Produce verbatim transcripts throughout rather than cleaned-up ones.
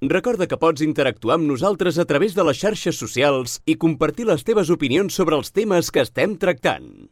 Recorda que pots interactuar amb nosaltres a través de les xarxes socials i compartir les teves opinions sobre els temes que estem tractant.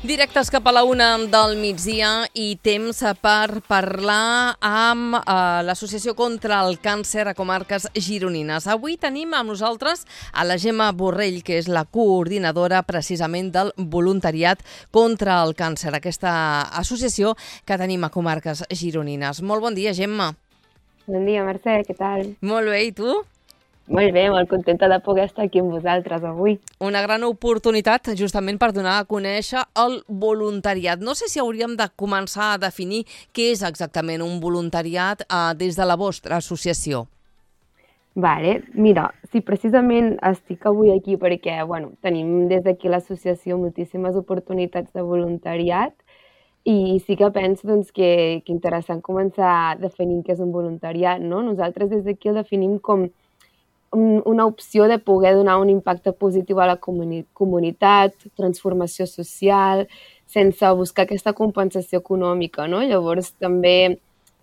Directes cap a la una del migdia i temps per parlar amb eh, l'Associació contra el Càncer a Comarques Gironines. Avui tenim amb nosaltres a la Gemma Borrell, que és la coordinadora precisament del voluntariat contra el càncer, aquesta associació que tenim a Comarques Gironines. Molt bon dia, Gemma. Bon dia, Mercè, què tal? Molt bé, i tu? Molt bé, molt contenta de poder estar aquí amb vosaltres avui. Una gran oportunitat justament per donar a conèixer el voluntariat. No sé si hauríem de començar a definir què és exactament un voluntariat eh, des de la vostra associació. Vale, mira, sí, precisament estic avui aquí perquè bueno, tenim des d'aquí l'associació moltíssimes oportunitats de voluntariat i sí que penso doncs, que, que interessant començar definint què és un voluntariat, no? Nosaltres des d'aquí el definim com una opció de poder donar un impacte positiu a la comuni- comunitat, transformació social, sense buscar aquesta compensació econòmica, no? Llavors també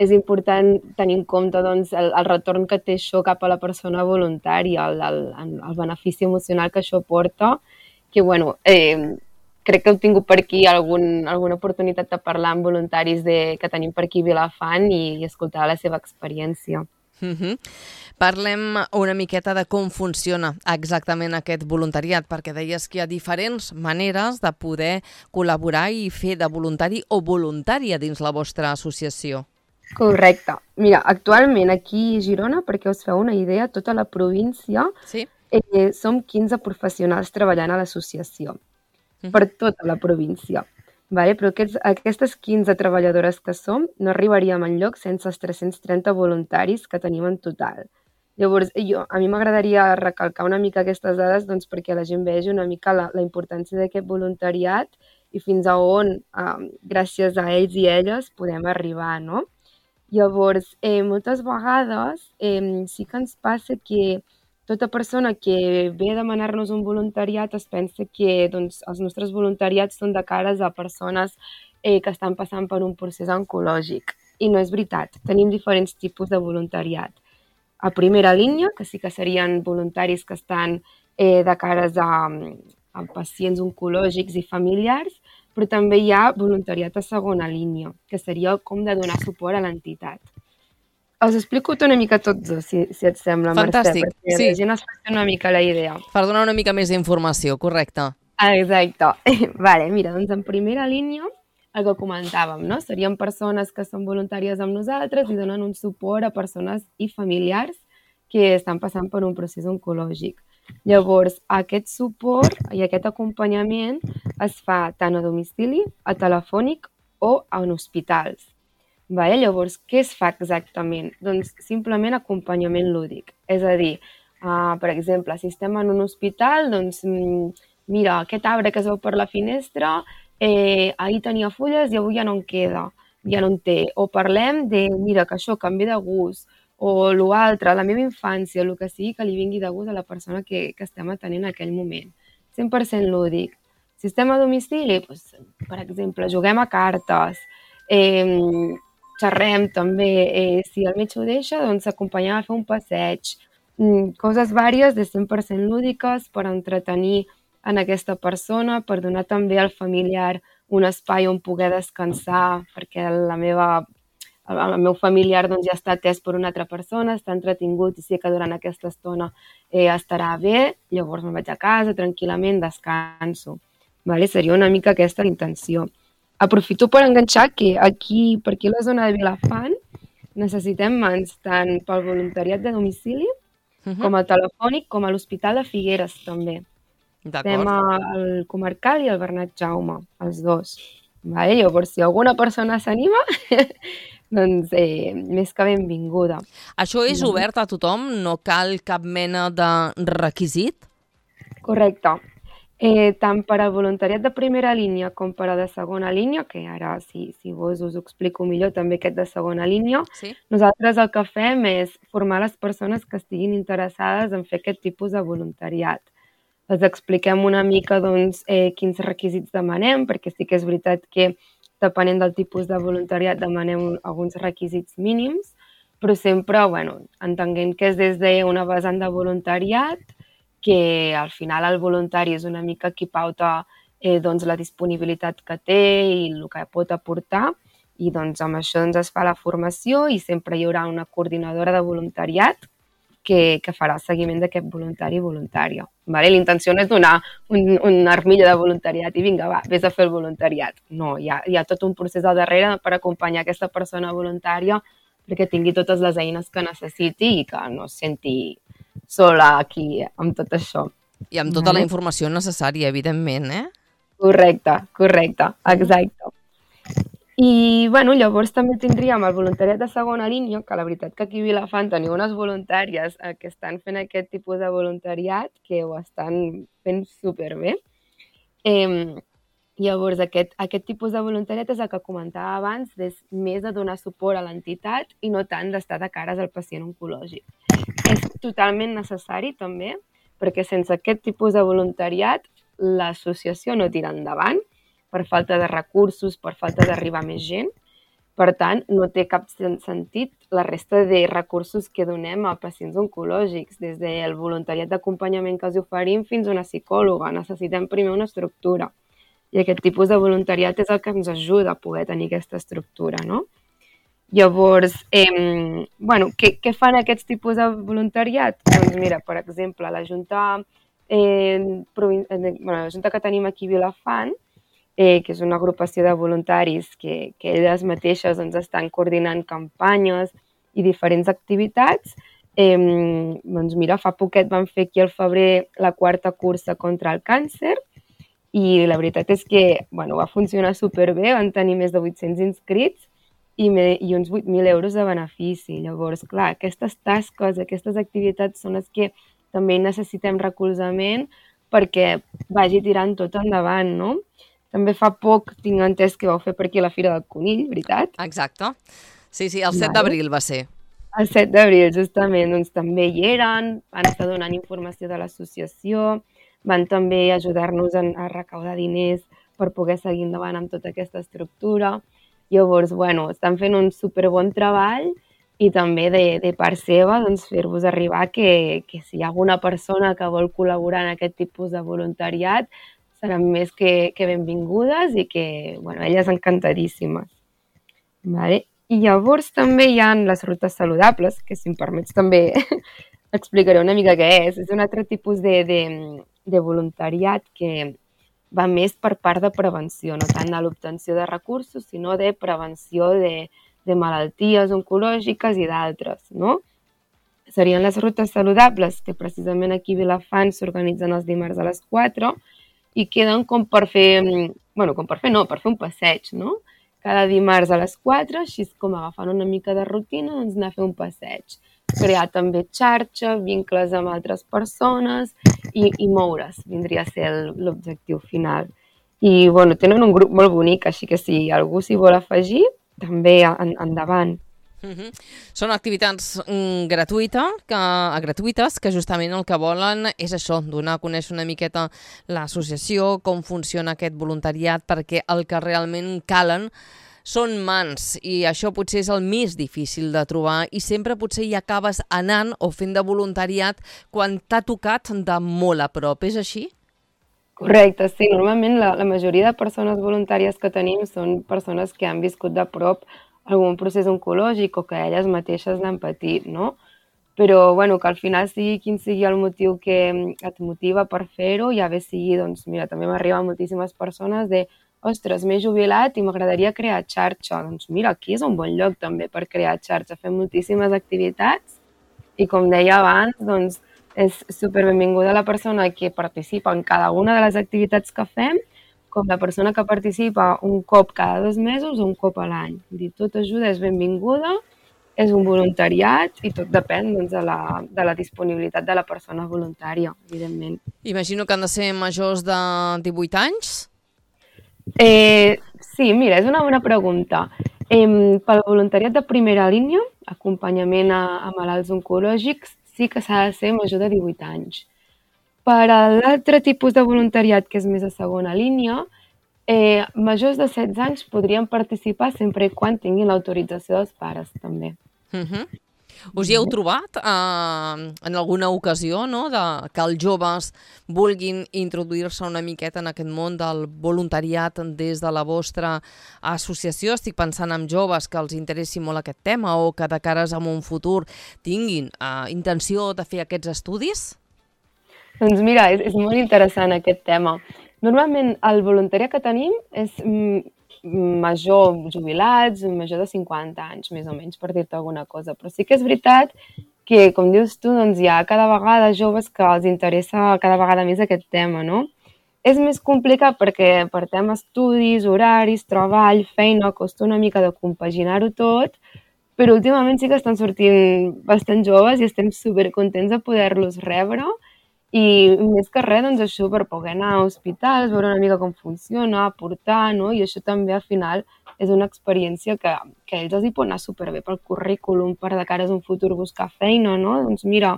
és important tenir en compte doncs, el, el retorn que té això cap a la persona voluntària, el, el, el benefici emocional que això porta, que bueno, eh, crec que heu tingut per aquí algun, alguna oportunitat de parlar amb voluntaris de, que tenim per aquí a Vilafant i, i escoltar la seva experiència. Mm-hmm. Parlem una miqueta de com funciona exactament aquest voluntariat, perquè deies que hi ha diferents maneres de poder col·laborar i fer de voluntari o voluntària dins la vostra associació. Correcte. Mira, actualment aquí a Girona, perquè us feu una idea, tota la província, sí? eh, som quinze professionals treballant a l'associació, mm-hmm. per tota la província. Vale? Però aquests, aquestes quinze treballadores que som no arribaríem enlloc sense els tres-cents trenta voluntaris que tenim en total. Llavors, jo, a mi m'agradaria recalcar una mica aquestes dades doncs, perquè la gent vegi una mica la, la importància d'aquest voluntariat i fins a on, eh, gràcies a ells i elles, podem arribar, no? Llavors, eh, moltes vegades eh, sí que ens passa que tota persona que ve a demanar-nos un voluntariat es pensa que doncs, els nostres voluntariats són de cares a persones eh, que estan passant per un procés oncològic. I no és veritat. Tenim diferents tipus de voluntariat. A primera línia, que sí que serien voluntaris que estan eh, de cares a, a pacients oncològics i familiars, però també hi ha voluntariat a segona línia, que seria com de donar suport a l'entitat. Us explico una mica tots dos, si, si et sembla, Fantàstic, Mercè, perquè sí. la gent es faci una mica la idea. Per donar una mica més d'informació, correcte. Exacte. Vale, mira, doncs en primera línia, el que comentàvem, no? Serien persones que són voluntàries amb nosaltres i donen un suport a persones i familiars que estan passant per un procés oncològic. Llavors, aquest suport i aquest acompanyament es fa tant a domicili, a telefònic o en hospitals. Vale? Llavors, què es fa exactament? Doncs simplement acompanyament lúdic. És a dir, uh, per exemple, si estem en un hospital, doncs mira, aquest arbre que es veu per la finestra, eh, ahir tenia fulles i avui ja no en queda, ja no en té. O parlem de, mira, que això canvi de gust, o l'altre, la meva infància, el que sigui que li vingui de gust a la persona que, que estem atenent en aquell moment. cent per cent lúdic. Si estem a domicili, doncs, per exemple, juguem a cartes, eh, xerrem també, eh, si el metge ho deixa, doncs acompanyem a fer un passeig, mm, coses vàries de cent per cent lúdiques per entretenir en aquesta persona, per donar també al familiar un espai on poder descansar, perquè la meva, el, el meu familiar doncs, ja està atès per una altra persona, està entretingut i sé que durant aquesta estona eh, estarà bé, llavors me'n vaig a casa tranquil·lament, descanso. Vale? Seria una mica aquesta l'intenció. Aprofito per enganxar que aquí, per aquí a la zona de Vilafant, necessitem mans tant pel voluntariat de domicili, uh-huh. com a telefònic, com a l'Hospital de Figueres, també. Estem al Comarcal i al Bernat Jaume, els dos. Vale? Llavors, si alguna persona s'anima, doncs eh, més que benvinguda. Això és obert a tothom? No cal cap mena de requisit? Correcte. Eh, tant per al voluntariat de primera línia com per a de segona línia, que ara, si, si vos us ho explico millor, també aquest de segona línia, sí? Nosaltres el que fem és formar les persones que estiguin interessades en fer aquest tipus de voluntariat. Els expliquem una mica doncs, eh, quins requisits demanem, perquè sí que és veritat que depenent del tipus de voluntariat, demanem alguns requisits mínims, però sempre, bueno, entenguem que és des d'una vessant de voluntariat, que al final el voluntari és una mica qui pauta eh, doncs, la disponibilitat que té i el que pot aportar, i doncs amb això doncs, es fa la formació i sempre hi haurà una coordinadora de voluntariat que, que farà el seguiment d'aquest voluntari i voluntària. Vale? L'intenció no és donar un, una armilla de voluntariat i vinga, va, vés a fer el voluntariat. No, hi ha, hi ha tot un procés al darrere per acompanyar aquesta persona voluntària perquè tingui totes les eines que necessiti i que no es senti sola aquí amb tot això. I amb tota la informació necessària, evidentment, eh? Correcte, correcte, exacte. I, bueno, llavors també tindríem el voluntariat de segona línia, que la veritat que aquí a Vilafant teniu unes voluntàries eh, que estan fent aquest tipus de voluntariat que ho estan fent superbé. Eh, llavors, aquest, aquest tipus de voluntariat és el que comentava abans, és més de donar suport a l'entitat i no tant d'estar de cares al pacient oncològic. És totalment necessari també, perquè sense aquest tipus de voluntariat l'associació no tira endavant, per falta de recursos, per falta d'arribar més gent. Per tant, no té cap sentit la resta de recursos que donem a pacients oncològics, des del voluntariat d'acompanyament que els oferim fins a una psicòloga. Necessitem primer una estructura. I aquest tipus de voluntariat és el que ens ajuda a poder tenir aquesta estructura, no? Llavors, eh, bueno, què, què fan aquests tipus de voluntariat? Doncs mira, per exemple, la Junta, eh, provin... bueno, la Junta que tenim aquí a Vilafant, Eh, que és una agrupació de voluntaris que, que elles mateixes doncs, estan coordinant campanyes i diferents activitats. Eh, doncs mira, fa poquet van fer aquí al febrer la quarta cursa contra el càncer i la veritat és que bueno, va funcionar superbé, van tenir més de vuit-cents inscrits i, me, i uns vuit mil euros de benefici. Llavors, clar, aquestes tasques, aquestes activitats són les que també necessitem recolzament perquè vagi tirant tot endavant, no? També fa poc tinc entès que vau fer per aquí la Fira del Conill, veritat? Exacte. Sí, sí, el set d'abril va ser. El set d'abril, justament. Doncs també hi eren, van estar donant informació de l'associació, van també ajudar-nos a recaudar diners per poder seguir endavant amb tota aquesta estructura. Llavors, bueno, estan fent un superbon treball i també de, de part seva doncs, fer-vos arribar que, que si hi ha alguna persona que vol col·laborar en aquest tipus de voluntariat, seran més que, que benvingudes i que, bueno, elles encantadíssimes. Vale? I llavors també hi ha les rutes saludables, que si em permets també explicaré una mica què és. És un altre tipus de, de, de voluntariat que va més per part de prevenció, no tant de l'obtenció de recursos, sinó de prevenció de, de malalties oncològiques i d'altres, no? Serien les rutes saludables, que precisament aquí a Vilafant s'organitzen els dimarts a les quatre, i queden com per fer, bueno, com per fer no, per fer un passeig, no? Cada dimarts a les quatre, així com agafant una mica de rutina, doncs anar a fer un passeig. Crear també xarxa, vincles amb altres persones i, i moure's, vindria a ser l'objectiu final. I, bueno, tenen un grup molt bonic, així que si algú s'hi vol afegir, també en, endavant. Uh-huh. Són activitats mm, gratuïta, que, gratuïtes que justament el que volen és això, donar a conèixer una miqueta l'associació, com funciona aquest voluntariat, perquè el que realment calen són mans i això potser és el més difícil de trobar i sempre potser hi acabes anant o fent de voluntariat quan t'ha tocat de molt a prop. És així? Correcte, sí. Normalment la, la majoria de persones voluntàries que tenim són persones que han viscut de prop algun procés oncològic o que elles mateixes n'han patit, no? Però, bueno, que al final sigui quin sigui el motiu que et motiva per fer-ho, ja bé sigui, doncs, mira, també m'arriben moltíssimes persones de ostres, m'he jubilat i m'agradaria crear xarxa. Doncs mira, aquí és un bon lloc també per crear xarxa. Fem moltíssimes activitats i, com deia abans, doncs, és superbenvinguda la persona que participa en cada una de les activitats que fem, com la persona que participa un cop cada dos mesos o un cop a l'any. Tot ajuda, és benvinguda, és un voluntariat i tot depèn doncs, de, la, de la disponibilitat de la persona voluntària, evidentment. Imagino que han de ser majors de divuit anys? Eh, sí, mira, és una bona pregunta. Eh, pel voluntariat de primera línia, acompanyament a, a malalts oncològics, sí que s'ha de ser major de divuit anys. Per a l'altre tipus de voluntariat, que és més a segona línia, Eh, majors de setze anys podrien participar sempre i quan tinguin l'autorització dels pares, també. Uh-huh. Us hi heu trobat eh, en alguna ocasió, no?, de que els joves vulguin introduir-se una miqueta en aquest món del voluntariat des de la vostra associació? Estic pensant en joves que els interessi molt aquest tema o que de cares a un futur tinguin eh, intenció de fer aquests estudis? Doncs mira, és, és molt interessant aquest tema. Normalment el voluntariat que tenim és mm, major jubilats, major de cinquanta anys, més o menys, per dir-te alguna cosa. Però sí que és veritat que, com dius tu, doncs hi ha cada vegada joves que els interessa cada vegada més aquest tema, no? És més complicat perquè per temes estudis, horaris, treball, feina, costa una mica de compaginar-ho tot, però últimament sí que estan sortint bastant joves i estem supercontents de poder-los rebre. I més que res, doncs això, per poder anar a hospitals, veure una mica com funciona, aportar, no? I això també al final és una experiència que, que a ells els hi pot anar superbé pel currículum, per de cara a un futur buscar feina, no? Doncs mira,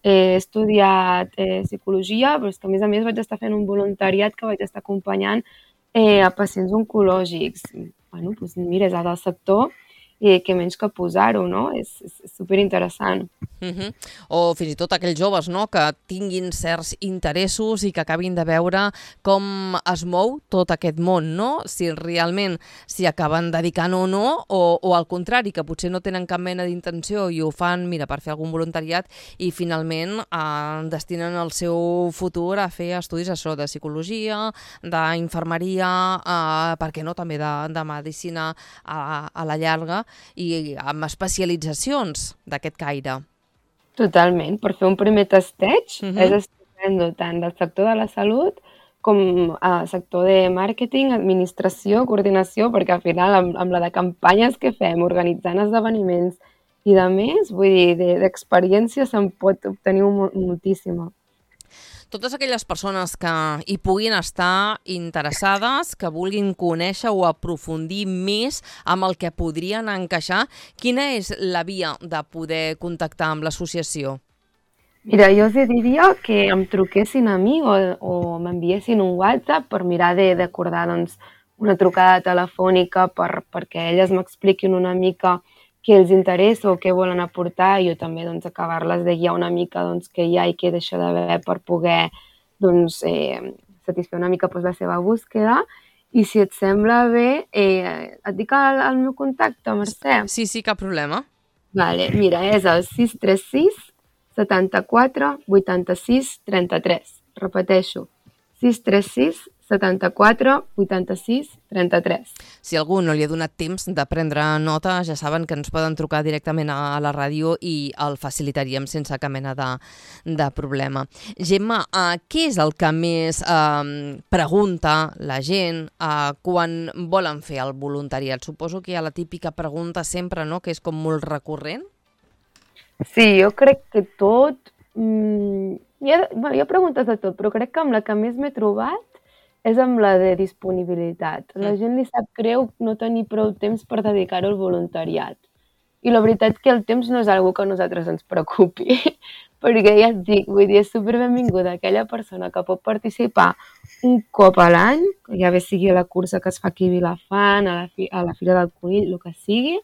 he estudiat eh, psicologia, però és que a més a més vaig estar fent un voluntariat que vaig estar acompanyant eh, a pacients oncològics. Bueno, doncs mira, és del sector i què menys que posar-ho, no? És, és, és superinteressant. Uh-huh. O fins i tot aquells joves, no?, que tinguin certs interessos i que acabin de veure com es mou tot aquest món, no? Si realment s'hi acaben dedicant o no, o, o al contrari, que potser no tenen cap mena d'intenció i ho fan, mira, per fer algun voluntariat i finalment eh, destinen el seu futur a fer estudis això, de psicologia, d'infermeria, eh, per què no, també de, de medicina a, a la llarga, i amb especialitzacions d'aquest caire. Totalment. Per fer un primer testeig Uh-huh. és estupendo tant del sector de la salut com al sector de màrqueting, administració, coordinació, perquè al final amb, amb la de campanyes que fem, organitzant esdeveniments i de més, vull dir, de- d'experiència se'n pot obtenir un, moltíssima. Totes aquelles persones que hi puguin estar interessades, que vulguin conèixer o aprofundir més amb el que podrien encaixar, quina és la via de poder contactar amb l'associació? Mira, jo els diria que em truquessin a mi o, o m'enviessin un WhatsApp per mirar de- d'acordar doncs, una trucada telefònica per, perquè elles m'expliquin una mica què els interessa o què volen aportar i jo també doncs, acabar-les de guiar una mica doncs, què hi ha i què deixa d'haver per poder doncs, eh, satisfer una mica doncs, la seva búsqueda. I si et sembla bé, eh, et dic el, el meu contacte, Mercè. Sí, sí, cap problema. Vale, mira, és el sis tres sis setanta-quatre vuitanta-sis trenta-tres. Repeteixo, sis tres sis setanta-quatre vuitanta-sis trenta-tres. Si algú no li ha donat temps de prendre nota, ja saben que ens poden trucar directament a la ràdio i el facilitaríem sense cap mena de, de problema. Gemma, eh, què és el que més eh, pregunta la gent eh, quan volen fer el voluntariat? Suposo que hi ha la típica pregunta sempre, no?, que és com molt recurrent. Sí, jo crec que tot... Mm, hi, ha, bueno, hi ha preguntes de tot, però crec que amb la que més m'he trobat és amb la de disponibilitat. La gent li sap greu no tenir prou temps per dedicar-ho al voluntariat. I la veritat que el temps no és algo que a nosaltres ens preocupi, perquè ja et dic, vull dir, és superbenvinguda aquella persona que pot participar un cop a l'any, ja bé sigui a la cursa que es fa aquí a Vilafant, a la, fi, a la Fira del Conill, el que sigui,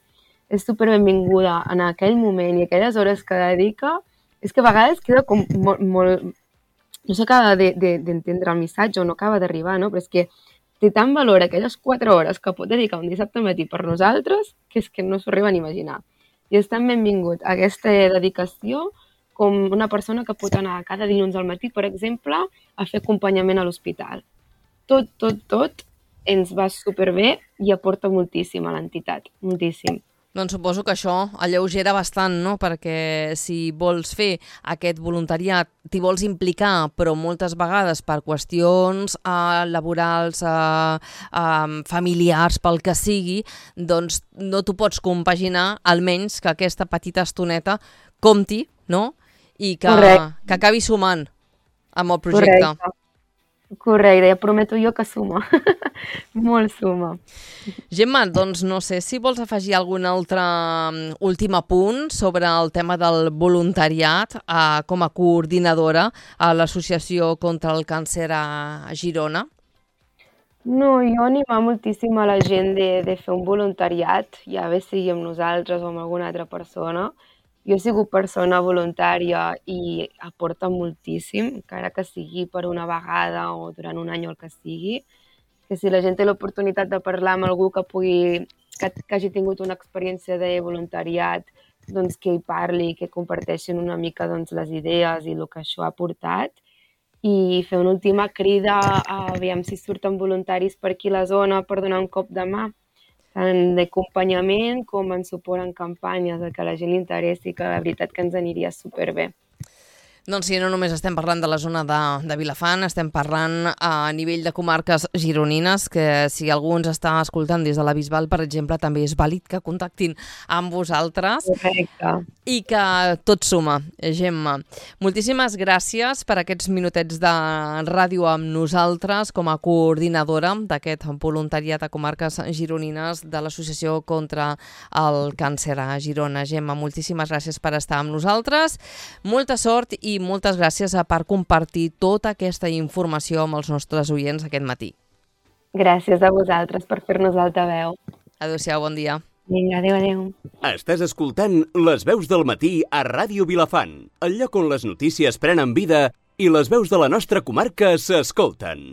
és superbenvinguda en aquell moment i aquelles hores que dedica, és que a vegades queda com molt, molt no s'acaba d'entendre de, de, el missatge o no acaba d'arribar, no? Però és que té tant valor aquelles quatre hores que pot dedicar un dissabte matí per nosaltres que és que no s'ho arriben a imaginar. I és tan benvingut aquesta dedicació com una persona que pot anar cada dilluns al matí, per exemple, a fer acompanyament a l'hospital. Tot, tot, tot ens va superbé i aporta moltíssim a l'entitat, moltíssim. Doncs suposo que això alleugera bastant, no?, perquè si vols fer aquest voluntariat, t'hi vols implicar, però moltes vegades per qüestions eh, laborals, eh, eh, familiars, pel que sigui, doncs no t'ho pots compaginar, almenys que aquesta petita estoneta compti, no?, i que, que acabi sumant amb el projecte. Correcte. Correcte, ja prometo jo que suma. Molt suma. Gemma, doncs no sé si vols afegir algun altre últim apunt sobre el tema del voluntariat eh, com a coordinadora a l'Associació contra el Càncer a Girona. No, jo animar moltíssim a la gent de, de fer un voluntariat, ja bé sigui amb nosaltres o amb alguna altra persona. Jo he sigut persona voluntària i aporta moltíssim, encara que sigui per una vegada o durant un any o el que sigui. Que si la gent té l'oportunitat de parlar amb algú que pugui, que, que hagi tingut una experiència de voluntariat, doncs que hi parli, que comparteixin una mica doncs, les idees i el que això ha portat. I fer una última crida a aviam si surten voluntaris per aquí a la zona per donar un cop de mà, tant d'acompanyament com en suport en campanyes, que a la gent li interessi, que la veritat que ens aniria superbé. Doncs sí, no només estem parlant de la zona de, de Vilafant, estem parlant a nivell de comarques gironines, que si algú ens està escoltant des de la Bisbal, per exemple, també és vàlid que contactin amb vosaltres. Correcte. I que tot suma, Gemma. Moltíssimes gràcies per aquests minutets de ràdio amb nosaltres com a coordinadora d'aquest voluntariat a comarques gironines de l'Associació contra el Càncer a Girona. Gemma, moltíssimes gràcies per estar amb nosaltres. Molta sort i moltes gràcies per compartir tota aquesta informació amb els nostres oients aquest matí. Gràcies a vosaltres per fer-nos altaveu. Adéu-siau, bon dia. Vinga, adéu, adéu. Estàs escoltant Les veus del matí a Ràdio Vilafant, el lloc on les notícies prenen vida i les veus de la nostra comarca s'escolten.